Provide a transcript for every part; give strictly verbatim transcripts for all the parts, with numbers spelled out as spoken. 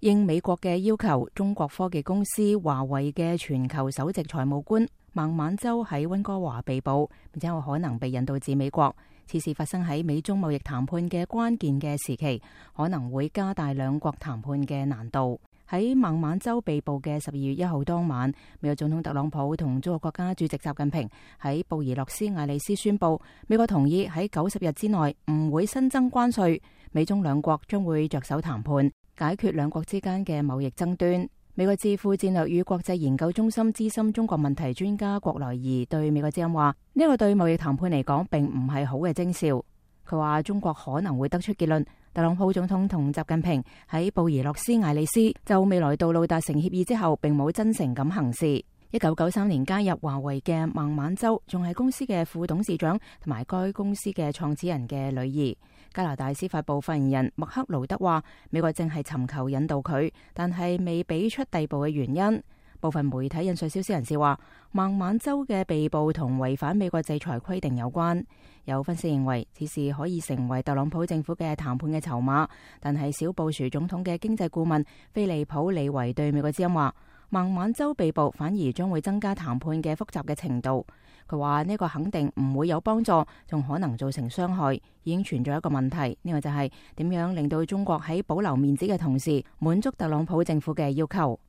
應美國嘅要求，中國科技公司華為嘅全球首席財務官孟晚舟喺溫哥華被捕，並且有可能被引渡至美國。此事發生喺美中貿易談判嘅關鍵嘅時期，可能會加大兩國談判嘅難度。喺孟晚舟被捕嘅十二月一號當晚，美國總統特朗普同中國國家主席習近平喺布宜諾斯艾利斯宣布，美國同意喺九十日之內唔會新增關稅，美中兩國將會着手談判，解決兩國之間嘅貿易爭端。美國智庫戰略與國際研究中心資深中國問題專家郭來儀對美國之音話：呢個對貿易談判嚟講，並唔係好嘅徵兆。佢話中國可能會得出結論，特朗普總統同習近平喺布宜諾斯艾利斯就未來道路達成協議之後，並冇真誠咁行事。一九九三年加入華為嘅孟晚舟仲係公司嘅副董事長同埋該公司嘅創始人嘅女兒。加拿大司法部發言人麥克勞德話：美國正係尋求引渡佢，但係未俾出逮捕嘅原因。部分媒體引述消息人士話，孟晚舟嘅被捕同違反美國制裁規定有關。有分析認為，此事可以成為特朗普政府嘅談判嘅籌碼。但係小布殊總統嘅經濟顧問菲利普李維對美國之音話：孟晚舟被捕反而將會增加談判嘅複雜嘅程度。佢話呢個肯定唔會有幫助，仲可能造成傷害。已經存在一個問題，呢個就係點樣令到中國喺保留面子嘅同時，滿足特朗普政府嘅要求。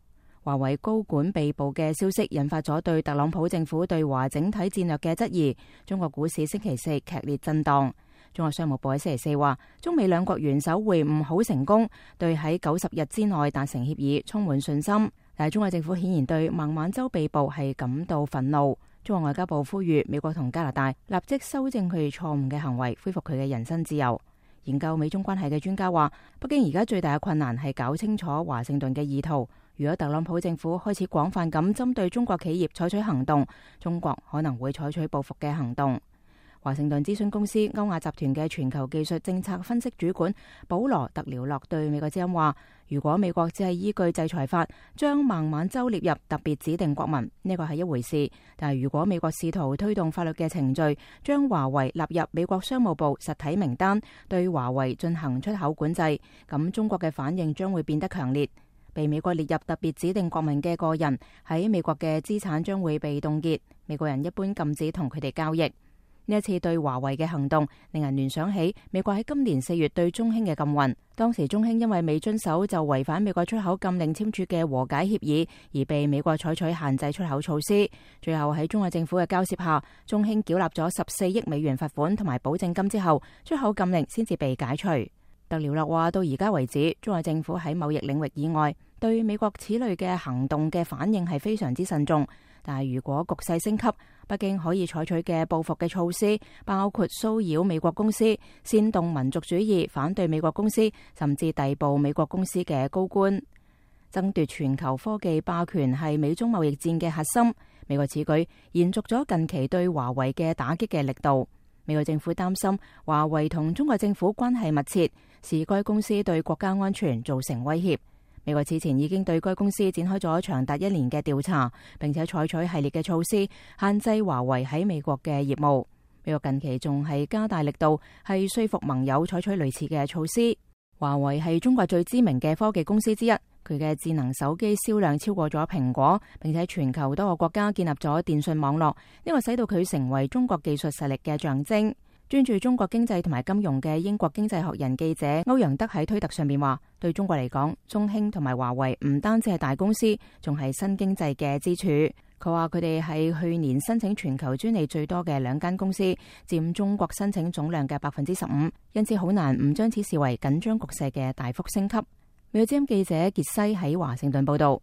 華為高管被捕嘅消息引發咗對特朗普政府對華整體戰略嘅質疑。中國股市星期四劇烈震盪。中國商務部喺星期四話，中美兩國元首會晤好成功，對喺九十日之內達成協議充滿信心。但係中國政府顯然對孟晚舟被捕係感到憤怒。中國外交部呼籲美國同加拿大立即修正佢哋錯誤嘅行為，恢復佢嘅人身自由。研究美中關係嘅專家話，北京而家最大嘅困難係搞清楚華盛頓嘅意圖。如果特朗普政府開始廣泛咁針對中國企業採取行動，中國可能會採取報復嘅行動。華盛頓諮詢公司歐亞集團嘅全球技術政策分析主管保羅特廖洛對美國之音話：如果美國只係依據制裁法將孟晚舟列入特別指定國民，呢個係一回事；但係如果美國試圖推動法律嘅程序，將華為納入美國商務部實體名單，對華為進行出口管制，咁中國嘅反應將會變得強烈。被美國列入特別指定國民嘅個人喺美國嘅資產將會被凍結，美國人一般禁止同佢哋交易。呢一次對華為嘅行動，令人聯想起美國喺今年四月對中興嘅禁運。當時中興因為未遵守就違反美國出口禁令簽署嘅和解協議，而被美國採取限制出口措施。最後喺中國政府嘅交涉下，中興繳納咗十四億美元罰款同埋保證金之後，出口禁令先至被解除。特廖洛話：到而家為止，中國政府喺貿易領域以外對美國此類嘅行動嘅反應係非常之慎重。但係如果局勢升級，北京可以採取嘅報復嘅措施，包括騷擾美國公司、煽動民族主義、反對美國公司，甚至逮捕美國公司嘅高官。爭奪全球科技霸權係美中貿易戰嘅核心。美國此舉延續咗近期對華為嘅打擊嘅力度。美國政府擔心華為同中國政府關係密切，視該公司對國家安全造成威脅。美國此前已經對該公司展開咗長達一年嘅調查，並且採取系列嘅措施，限制華為喺美國嘅業務。美國近期仲係加大力度，係說服盟友採取類似嘅措施。華為係中國最知名嘅科技公司之一，佢嘅智能手機銷量超過咗蘋果，並且全球多個國家建立咗電信網絡，呢個使到佢成為中國技術實力嘅象徵。專注中國經濟同埋金融嘅英國經濟學人記者歐陽德喺推特上面話：對中國嚟講，中興同埋華為唔單止係大公司，仲係新經濟嘅支柱。佢話佢哋係去年申請全球專利最多嘅兩間公司，佔中國申請總量嘅百分之十五，因此好難唔將此視為緊張局勢嘅大幅升級。美國之音記者傑西喺華盛頓報道。